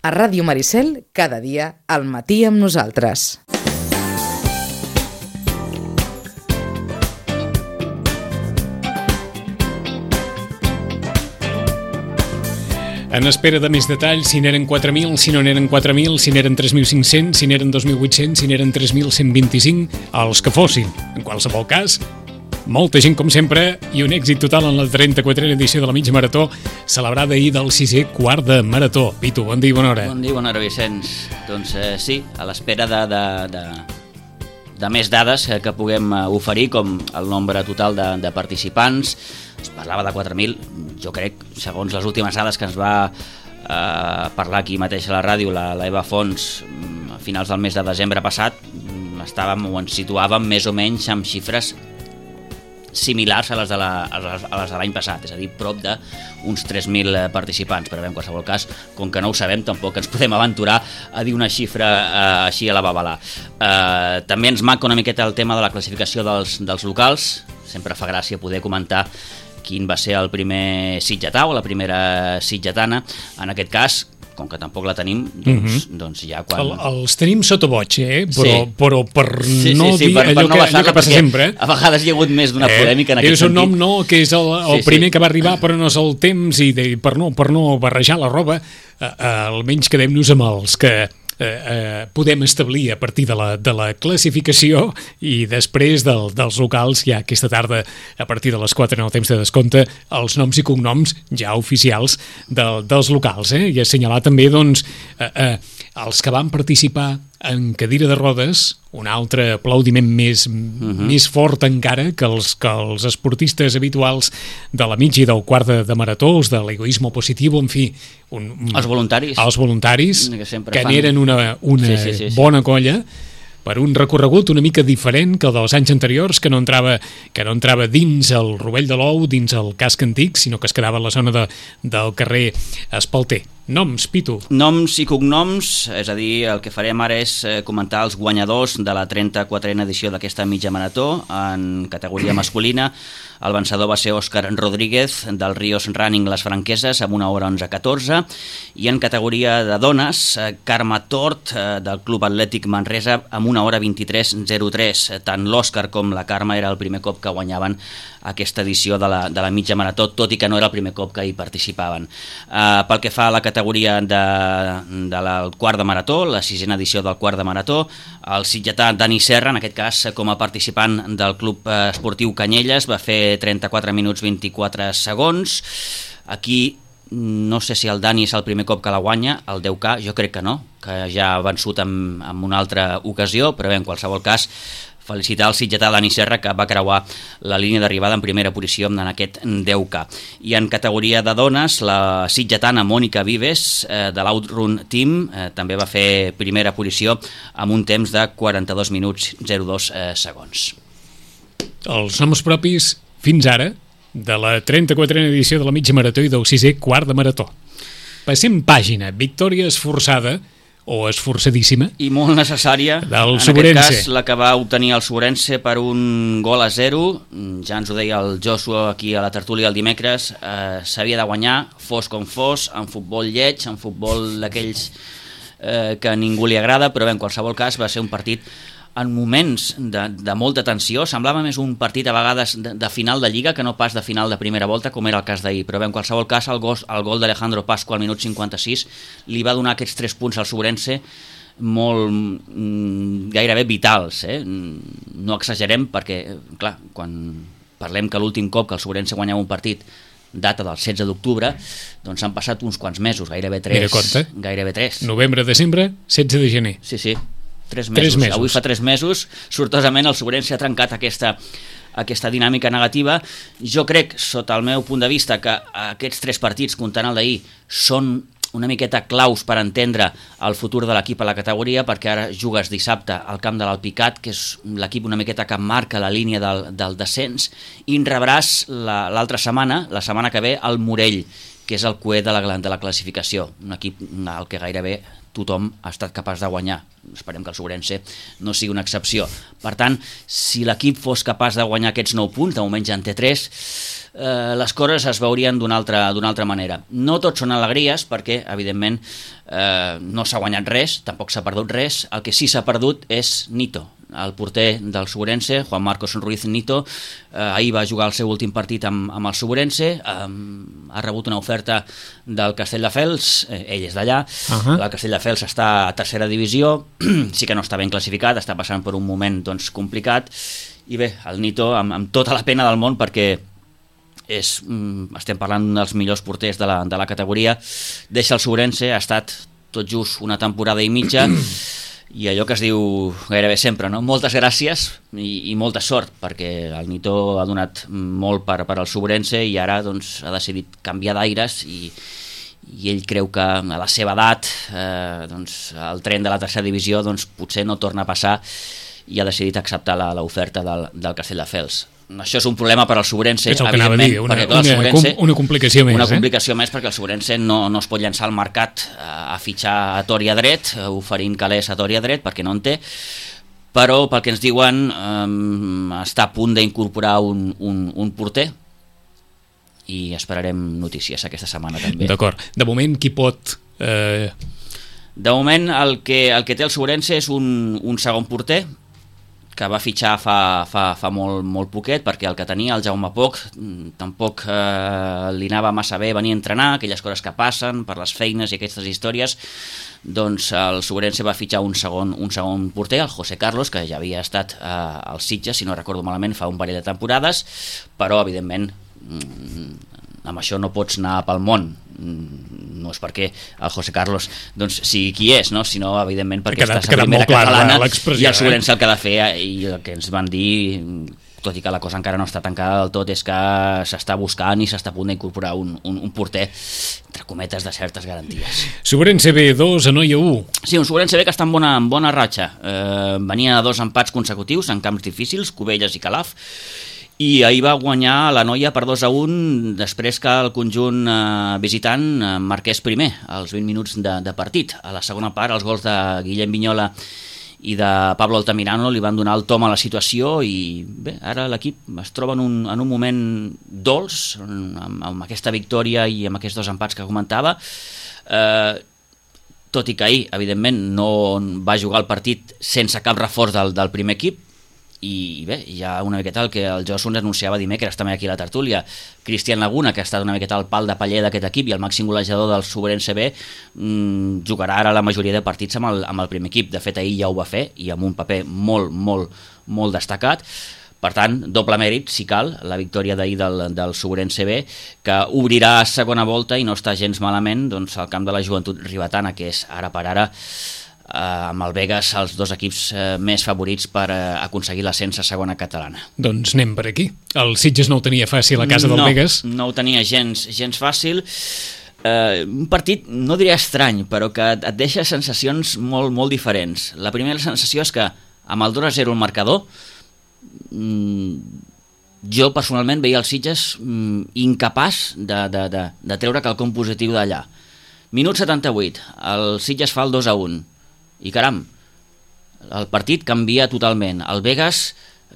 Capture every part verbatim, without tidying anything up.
A Ràdio Maricel, cada dia, al matí amb nosaltres. En espera de més detalls, si n'eren quatre mil, si no n'eren quatre mil, si n'eren tres mil cinc-cents, si n'eren dos mil vuit-cents, si n'eren tres mil cent vint-i-cinc, els que fossin. En qualsevol cas, molta gent com sempre i un èxit total en la trenta-quatrena edició de la mitja marató, celebrada ahir del sisè quart de marató. Pitu, bon dia i bona hora. Bon dia i bona hora, Vicenç. Doncs eh, sí, a l'espera de, de, de, de més dades que, que puguem oferir, com el nombre total de, de participants. Es parlava de quatre mil, jo crec, segons les últimes dades que ens va eh, parlar aquí mateix a la ràdio, la, la Eva Fons, a finals del mes de desembre passat, estàvem o ens situàvem més o menys amb xifres similars a les de la, a les, a les de l'any passat, és a dir, prop d'uns tres mil participants, però bé, en qualsevol cas, com que no ho sabem, tampoc ens podem aventurar a dir una xifra eh, així a la babalà. Eh, també ens manca una miqueta el tema de la classificació dels, dels locals, sempre fa gràcia poder comentar quin va ser el primer sitgetà o la primera sitgetana. En aquest cas, com que tampoc la tenim, doncs, uh-huh. doncs ja quan... El, els tenim sota boig, eh? Però, sí. però per sí, no sí, sí, dir per, allò, per no que, allò que passa sempre. A vegades hi ha hagut més d'una eh? polèmica en aquest és sentit. És un nom, no?, que és el, el sí, primer sí. que va arribar, però no és el temps, i de, per, no, per no barrejar la roba, eh, eh, almenys quedem-nos amb els que Eh, eh, podem establir a partir de la, de la classificació, i després del, dels locals ja aquesta tarda a partir de les quatre en el temps de descompte els noms i cognoms ja oficials del, dels locals, eh? I assenyalar també doncs eh, eh, els que van participar en cadira de rodes, un altre aplaudiment més, uh-huh. més fort encara que els, que els esportistes habituals de la mitja i del quart de, de marató, els de l'egoisme positiu, en fi, un, els voluntaris, els voluntaris que, que n'eren una, una sí, sí, sí, sí. bona colla, per un recorregut una mica diferent que el dels anys anteriors, que no entrava, que no entrava dins el Rovell de l'Ou, dins el casc antic, sinó que es quedava a la zona de, del carrer Espalter. Noms, Pitu. Noms i cognoms, és a dir, el que farem ara és comentar els guanyadors de la trenta-quatrena edició d'aquesta mitja marató en categoria masculina. El vencedor va ser Òscar Rodríguez del Ríos Running Les Franqueses amb una hora onze catorze, i en categoria de dones, Carme Tort del Club Atlètic Manresa amb una hora vint-i-tres zero tres. Tant l'Òscar com la Carme era el primer cop que guanyaven aquesta edició de la, de la mitja marató, tot i que no era el primer cop que hi participaven. Uh, pel que fa a la categoria de, de la quart de marató, la sisena edició del quart de marató, el sitgetà Dani Serra, en aquest cas com a participant del Club Esportiu Canyelles, va fer trenta-quatre minuts vint-i-quatre segons. Aquí no sé si el Dani és el primer cop que la guanya, el deu K jo crec que no, que ja ha vençut en, en una altra ocasió, però bé, en qualsevol cas, felicitar el sitgetà Dani Serra, que va creuar la línia d'arribada en primera posició en aquest deu K. I en categoria de dones, la sitgetana Mònica Vives, eh, de l'Outrun Team, eh, també va fer primera posició amb un temps de quaranta-dos minuts zero dos eh, segons. Els noms propis, fins ara, de la trenta-quatrena edició de la mitja marató i del sisè quart de marató. Passem pàgina. Victòria esforçada, o esforçadíssima, i molt necessària, del en Sobrense. aquest cas la que va obtenir el Sobrense per un gol a zero. Ja ens ho deia el Joshua aquí a la tertúlia el dimecres, eh, s'havia de guanyar fos com fos, en futbol lleig, en futbol d'aquells eh, que a ningú li agrada, però bé, en qualsevol cas va ser un partit en moments de, de molta tensió. Semblava més un partit a vegades de, de final de Lliga que no pas de final de primera volta, com era el cas d'ahir, però bé, en qualsevol cas el gol, el gol d'Alejandro Pascu al minut cinquanta-sis li va donar aquests tres punts al Sobrense molt mm, gairebé vitals, eh? No exagerem, perquè clar, quan parlem que l'últim cop que el Sobrense guanyava un partit data del setze d'octubre, doncs han passat uns quants mesos, gairebé tres. Mira, compte. Gairebé tres. Novembre, desembre, setze de gener. Sí, sí. Tres mesos. Tres mesos. Avui fa tres mesos, sortosament el Sobrense ha trencat aquesta, aquesta dinàmica negativa. Jo crec, sota el meu punt de vista, que aquests tres partits, comptant el d'ahir, són una miqueta claus per entendre el futur de l'equip a la categoria, perquè ara jugues dissabte al camp de l'Alpicat, que és l'equip una miqueta que marca la línia del, del descens, i en rebràs l'altra setmana, la setmana que ve, el Morell, que és el cué de la, de la classificació, un equip al que gairebé tothom ha estat capaç de guanyar. Esperem que el Sobrense no sigui una excepció. Per tant, si l'equip fos capaç de guanyar aquests nou punts, de moment ja en té tres, eh, les coses es veurien d'una altra, d'una altra manera. No tot són alegries, perquè, evidentment, eh, no s'ha guanyat res, tampoc s'ha perdut res. El que sí s'ha perdut és Nito, el porter del Sobrense, Juan Marcos Ruiz Nito. Eh, ahir va jugar el seu últim partit amb, amb el Sobrense, eh, ha rebut una oferta del Castelldefels, eh, ell és d'allà, uh-huh. El Castelldefels està a tercera divisió, sí que no està ben classificat, està passant per un moment doncs, complicat, i bé, el Nito amb, amb tota la pena del món, perquè és, estem parlant d'un dels millors porters de la, de la categoria, deixa el Sobrense, ha estat tot just una temporada i mitja, i allò que es diu gairebé sempre, no? Moltes gràcies i, i molta sort, perquè el Nito ha donat molt per, per al Sobrense i ara doncs, ha decidit canviar d'aires i, i ell creu que a la seva edat eh, doncs, el tren de la tercera divisió doncs, potser no torna a passar i ha decidit acceptar l'oferta del, del Castelldefels. Això és un problema per al Sobrense, és el que anava a dir, una, perquè, clar, una, Sobrense, una complicació més. Una complicació eh? més perquè el Sobrense no, no es pot llançar al mercat a, a fitxar a tor i a dret, oferint calés a tor i a dret, perquè no en té, però pel que ens diuen eh, està a punt d'incorporar un, un, un porter i esperarem notícies aquesta setmana també. D'acord. De moment, qui pot... Eh... De moment, el que, el que té el Sobrense és un, un segon porter, que va fitxar fa, fa, fa molt, molt poquet, perquè el que tenia, el Jaume Poch, tampoc eh, li anava massa bé venir a entrenar, aquelles coses que passen per les feines i aquestes històries, doncs el Sobrense va fitxar un segon, un segon porter, el José Carlos, que ja havia estat eh, al Sitges, si no recordo malament, fa un parell de temporades, però evidentment amb això no pots anar pel món, no és perquè el José Carlos doncs, sigui qui és, no? Sinó evidentment perquè quedat, estàs a primera catalana i el Sobrense eh? el que ha de fer, i el que ens van dir, tot i que la cosa encara no està tancada del tot, és que s'està buscant i s'està a punt d'incorporar un, un, un porter, entre cometes, de certes garanties. Sobrense B dos, Anoia u. Sí, un Sobrense B que està en bona, en bona ratxa, eh, venia de dos empats consecutius en camps difícils, Cubelles i Calaf, i ahir va guanyar la Noia per dos a un després que el conjunt eh, visitant eh, marqués primer als vint minuts de, de partit. A la segona part els gols de Guillem Vinyola i de Pablo Altamirano li van donar el tom a la situació i bé, ara l'equip es troba en un, en un moment dolç amb, amb aquesta victòria i amb aquests dos empats que comentava, eh, tot i que ahir evidentment no va jugar el partit sense cap reforç del, del primer equip. I bé, hi ha una miqueta el que el Josu ens anunciava dimecres també aquí a la tertúlia. Cristian Laguna, que ha estat una miqueta el pal de paller d'aquest equip i el màxim golejador del Sobrense B, mmm, jugarà ara la majoria de partits amb el, amb el primer equip. De fet, ahir ja ho va fer i amb un paper molt, molt, molt destacat. Per tant, doble mèrit, si cal, la victòria d'ahir del, del Sobrense B, que obrirà segona volta i no està gens malament doncs, al camp de la Joventut Ribetana, que és ara per ara Uh, amb el Begues els dos equips uh, més favorits per uh, aconseguir l'ascens a segona catalana. Doncs anem per aquí. El Sitges no ho tenia fàcil a casa del no, Begues. No ho tenia gens, gens fàcil. Uh, un partit, no diré estrany, però que et deixa sensacions molt, molt diferents. La primera sensació és que amb el dos a zero el marcador, mm, jo personalment veia el Sitges mm, incapaç de, de, de, de treure quelcom positiu d'allà. Minut setanta-vuit, el Sitges fa el dos a un. I caram, el partit canvia totalment. El Begues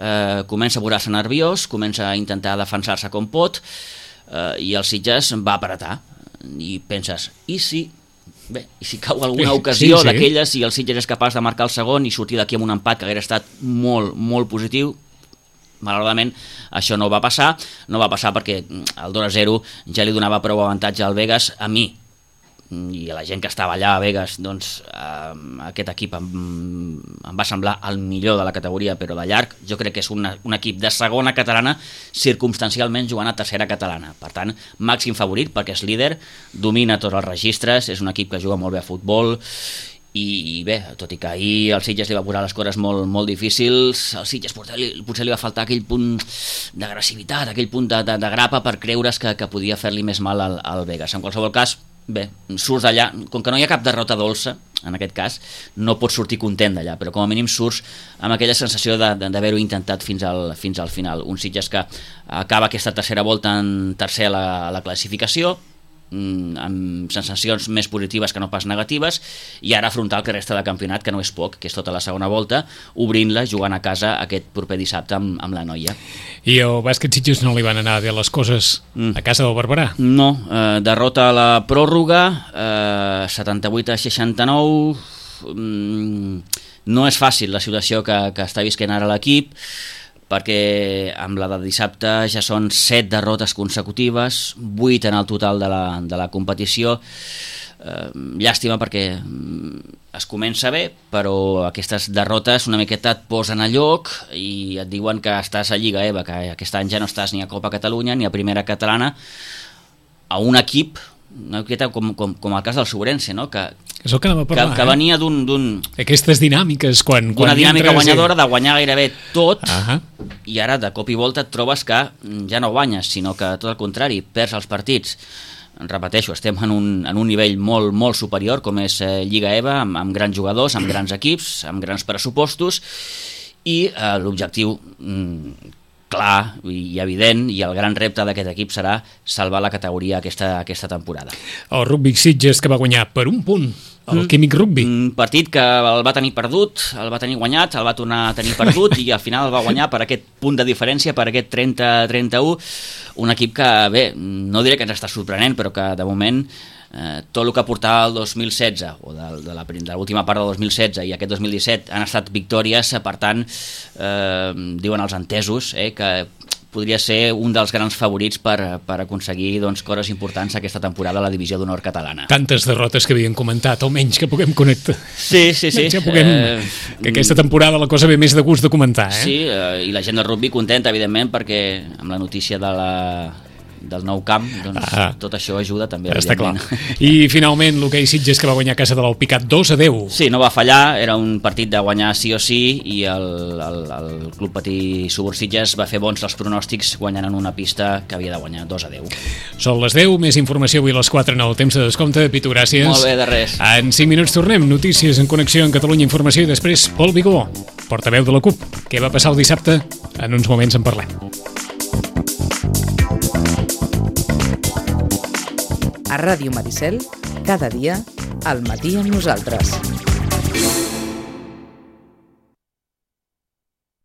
eh, comença a posar-se nerviós, comença a intentar defensar-se com pot eh, i el Sitges va apretar. I penses, i si, bé, i si cau alguna ocasió sí, sí. d'aquelles i el Sitges és capaç de marcar el segon i sortir d'aquí amb un empat que hauria estat molt, molt positiu? Malauradament això no va passar, no va passar perquè el dos a zero ja li donava prou avantatge al Begues. A mi i a la gent que estava allà a Begues, doncs eh, aquest equip em, em va semblar el millor de la categoria, però de llarg. Jo crec que és una, un equip de segona catalana circumstancialment jugant a tercera catalana, per tant màxim favorit perquè és líder, domina tots els registres, és un equip que juga molt bé a futbol i, i bé, tot i que ahir el Sitges li va posar les coses molt, molt difícils, al Sitges potser li, potser li va faltar aquell punt d'agressivitat, aquell punt de, de, de grapa per creure's que, que podia fer-li més mal al, al Begues. En qualsevol cas, bé, surts d'allà, com que no hi ha cap derrota dolça, en aquest cas, no pots sortir content d'allà, però com a mínim surts amb aquella sensació d'haver-ho intentat fins al, fins al final. Un Sitges que acaba aquesta tercera volta en tercer a la, a la classificació, amb sensacions més positives que no pas negatives, i ara afrontar el que resta de campionat, que no és poc, que és tota la segona volta, obrint-la, jugant a casa aquest proper dissabte amb, amb la Noia. I el bàsquet Sitges no li van anar bé les coses mm. a casa del Barberà? No, eh, derrota a la pròrroga, eh, setanta-vuit a seixanta-nou, mm, no és fàcil la situació que, que està visquent ara l'equip, perquè amb la de dissabte ja són set derrotes consecutives, vuit en el total de la, de la competició. Eh, llàstima perquè es comença bé, però aquestes derrotes una miqueta et posen a lloc i et diuen que estàs a Lliga EVA, que aquest any ja no estàs ni a Copa Catalunya ni a Primera Catalana, a un equip una miqueta com, com, com el cas del Sobrense, no? que, és el que anava a parlar, que, que venia d'un... d'un aquestes dinàmiques, quan... D'una dinàmica guanyadora, i... de guanyar gairebé tot, uh-huh. i ara de cop i volta et trobes que ja no guanyes, sinó que tot el contrari, perds els partits. Repeteixo, estem en un, en un nivell molt, molt superior, com és eh, Lliga EVA, amb, amb grans jugadors, amb grans equips, amb grans pressupostos, i eh, l'objectiu... Mm, clar i evident, i el gran repte d'aquest equip serà salvar la categoria aquesta, aquesta temporada. El Rugby Sitges, que va guanyar per un punt el mm. Químic Rugby. Un partit que el va tenir perdut, el va tenir guanyat, el va tornar a tenir perdut i al final el va guanyar per aquest punt de diferència, per aquest trenta a trenta-u, un equip que, bé, no diré que ens està sorprenent, però que de moment eh, tot el que portava el dos mil setze o de, de, la, de l'última part del dos mil setze i aquest dos mil disset han estat victòries, per tant eh, diuen els entesos eh, que podria ser un dels grans favorits per, per aconseguir doncs, coses importants aquesta temporada a la divisió d'honor catalana. Tantes derrotes que havien comentat, almenys que puguem connectar. Sí, sí, sí. Ja puguem, eh, que aquesta temporada la cosa ve més de gust de comentar. Eh? Sí, eh, i la gent del rugby contenta, evidentment, perquè amb la notícia de la... del nou camp, doncs ah, tot això ajuda també. Està clar. I finalment l'hoquei Sitges, que va guanyar a casa de l'Alpicat dos a deu. Sí, no va fallar, era un partit de guanyar sí o sí, i el, el, el Club Patí Subur Sitges va fer bons els pronòstics guanyant en una pista que havia de guanyar dos a deu. Són les deu, més informació avui a les quatre en el temps de descompte. Pitu, gràcies. Molt bé, de res. En cinc minuts tornem, notícies en connexió en Catalunya Informació, i després Pol Vigó, portaveu de la CUP. Què va passar el dissabte? En uns moments en parlem. A Ràdio Maricel, cada dia, al matí amb nosaltres.